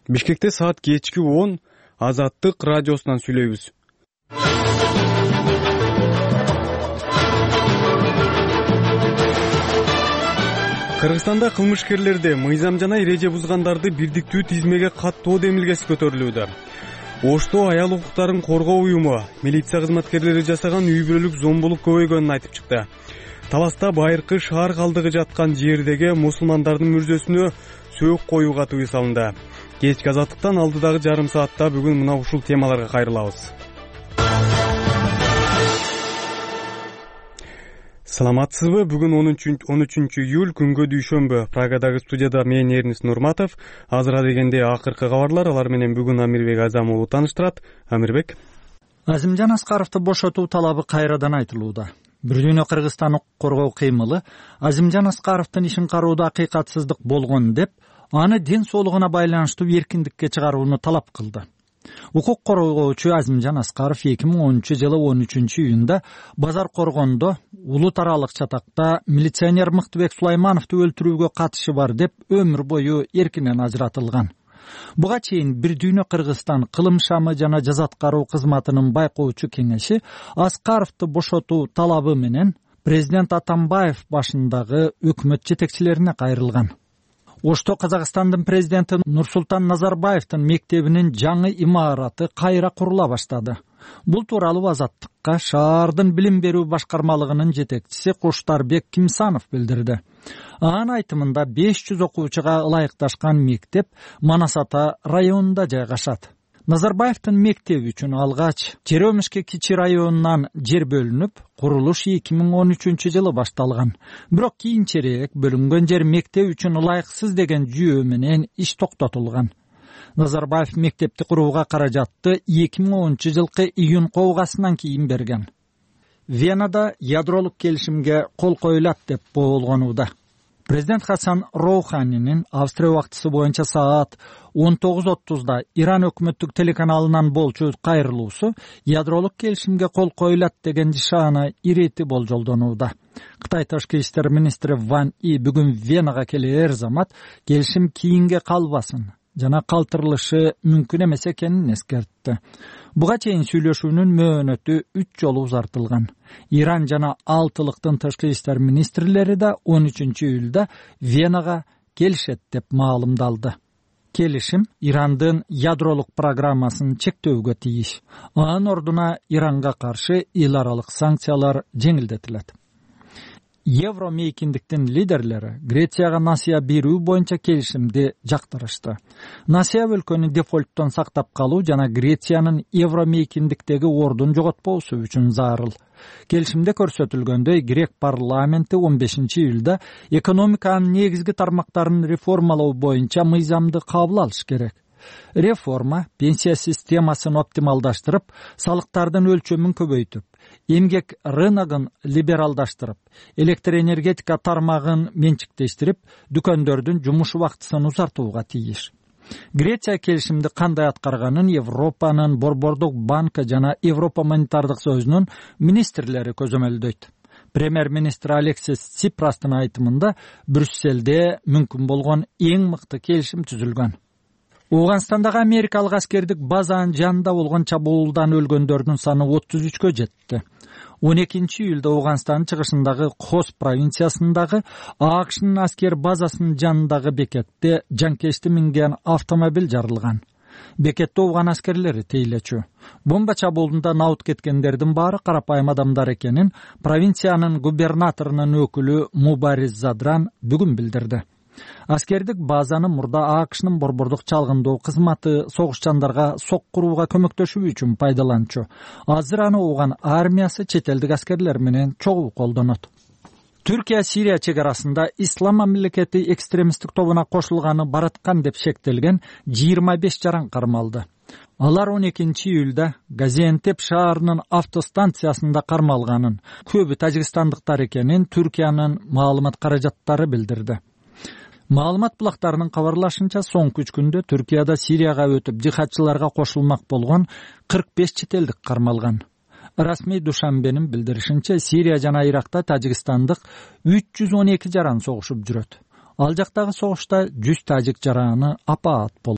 Бишкекте саат кечки 10 Азаттык радиосунан сүйлөйбүз. Кыргызстанда кылмышкерлерди мыйзам жана эреже бузгандарды бирдиктүү тизмеге каттоо демилгеси көтөрүлүүдө. Ошто аял укуктарын коргоо уюму милиция кызматкерлери жасаган үй бүлөлүк зомбулук көбөйгөнүн айтып чыкты. Таласта байыркы шаар калдыгы жаткан жердеги мусулмандардын мүрзөсүнө сөөк коюуга тыюу салынды. Кечки Азаттыктан алдыдагы жарым саатта бүгүн мына ушул темаларга кайрылабыз. Саламатсызбы? Бүгүн 13 июль күнгө дүйшөмбү. Прагадагы студияда мен Эрнис Нурматов. Азыр дегенде акыркы кабарлар, алар менен бүгүн Амирбек Азам уулу тааныштырат. Амирбек. Азимжан Аскаровду бошотуу талабы кайрадан айтылууда. Бир дүйнө Кыргызстан укук коргоо кыймылы Азимжан Аскаровдун ишин кароодо акыйкатсыздык болгон деп, аны ден соолугуна байланыштуу эркиндикке чыгарууну талап кылды. Укук коргоочу Азимжан Аскаров 2010-жылы 13-июнда Базар Коргондо улут аралык чатакта милиционер Мыктыбек Сулаймановду өлтүрүүгө катышы бар деп өмүр бою эркинен ажыратылган. Буга чейин Бир дүйнө Кыргызстан кылым шамы жана жаза аткаруу кызматынын байкоочу кеңеши Аскаровду бошотуу талабы менен президент Атамбаев башындагы өкмөт жетекчилерине кайрылган. Ошто Казакстандын президенти Нурсултан Назарбаевдин мектебинин жаңы имараты кайра курула баштады. Бул тууралуу Азаттыкка шаардын билим берүү башкармалыгынын жетекчиси Куштарбек Кимсанов билдирди. Анын айтымында 500 окуучуга ылайыкташкан мектеп Манас Ата районунда жайгашат. Назарбаевдин мектеби үчүн алгач Черемишке кичи районунан жер бөлүнүп, курулуш 2013-жылы башталган. Бирок кийинчерээк бөлүнгөн жер мектеп үчүн ылайыксыз деген жүйө менен иш токтотулган. Назарбаев мектепти курууга каражатты 2010-жылкы июнь кобгасынан кийин берген. Венада ядролук келишимге кол коюлат деп болгонууда. Президент Хасан Роуханинин Австрия убактысы боюнча саат 19:30 Иран өкмөттүк телеканалынан болчу кайрылуусу ядролук келишимге кол коюлат деген шаана ирети болжолдонууда. Кытай тышкы иштер министри Ван И бүгүн Венага келер замат келишим кийинге калбасын жана калтырылышы мүмкүн эмес экенин эскертти. Буга чейин сүйлөшүүнүн мөөнөтү 3 жолу узартылган. Иран жана алтылыктын тышкы иштер министрлери да 13-июлда Венага келишет деп маалымдалды. Келишим Ирандын ядролук программасын чектөөгө тийиш. Анын ордуна Иранга каршы эл аралык санкциялар жеңилдетилет. Евромейкиндиктин лидерлери Грецияга насыя берүү боюнча келишимди жактырышты. Насыя өлкөнү дефолттон сактап калуу жана Грециянын евромейкиндиктеги ордун жоготпоосу үчүн зарыл. Келишимде көрсөтүлгөндөй, грек парламенти 15-июлда экономиканын негизги тармактарын реформалоо боюнча мыйзамды кабыл алыш керек. Реформа пенсия системасын оптималдаштырып, салыктардын өлчөмүн көбөйтүп, эмгек рыногун либералдаштырып, электр энергетика тармагын менчиктештирип, дүкөндөрдүн жумуш убактысын узартууга тийиш. Греция келишимди кандай аткарганын Европанын Борбордук банкы жана Европа монетардык союзунун министрлери көзөмөлдөйт. Премьер-министр Алексис Ципрастын айтымында Брюсселде мүмкүн болгон эң мыкты келишим түзүлгөн. Ооганстандагы америкалык аскердик базанын жанында болгон чабуулдан өлгөндөрдүн саны 33-кө жетти. 12-июлда Ооганстандын чыгышындагы Хос провинциясындагы АКШнын аскер базасынын жанындагы бекетте жанкечти минген автомобиль жарылган. Бекетте ооган аскерлери тейлечү. Бомба чабуулунда наут кеткендердин баары карапайым адамдар экенин провинциянын губернаторунун өкүлү Мубариз Задран бүгүн билдирди. Аскердик базаны мурда АКШнын борбордук чалгындоо кызматы согушчандарга сок курууга көмөктөшүү үчүн пайдаланчу. Азыр аны ооган армиясы чет элдик аскерлер менен чогуу колдонот. Түркия Сирия чегарасында Ислам мамлекети экстремисттик тобуна кошулганы бараткан деп шектелген 25 жаран кармалды. Алар 12-июлда Газиантеп шаарынын автостанциясында кармалганын, көбү тажикстандыктар экенин Түркиянын маалымат каражаттары билдирди. Маалымат булактарынын кабарлашынча, соңку 3 күндө Түркияда Сирияга өтүп жихадчыларга кошулмак болгон 45 чет элдик кармалган. Расмий Душанбенин билдиришинче, Сирия жана Иракта тажикстандык 312 жаран согушуп жүрөт. Ал жактагы согушта 100 тажик жараны апаат болду.